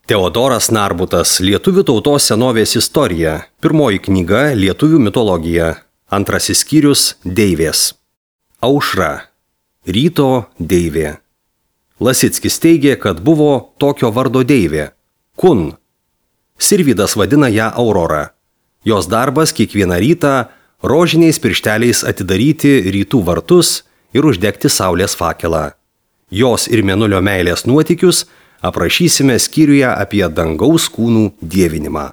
Teodoras Narbutas, Lietuvių tautos senovės istorija. Pirmoji knyga Lietuvių mitologija. Antrasis skyrius Deivės. Aušra. Ryto deivė. Lasickis teigė, kad buvo tokio vardo deivė. Kun. Sirvydas vadina ją Aurora. Jos darbas kiekvieną rytą rožiniais piršteliais atidaryti rytų vartus ir uždegti saulės fakelą. Jos ir mėnulio meilės nuotykius aprašysime skyriuje apie dangaus kūnų dievinimą.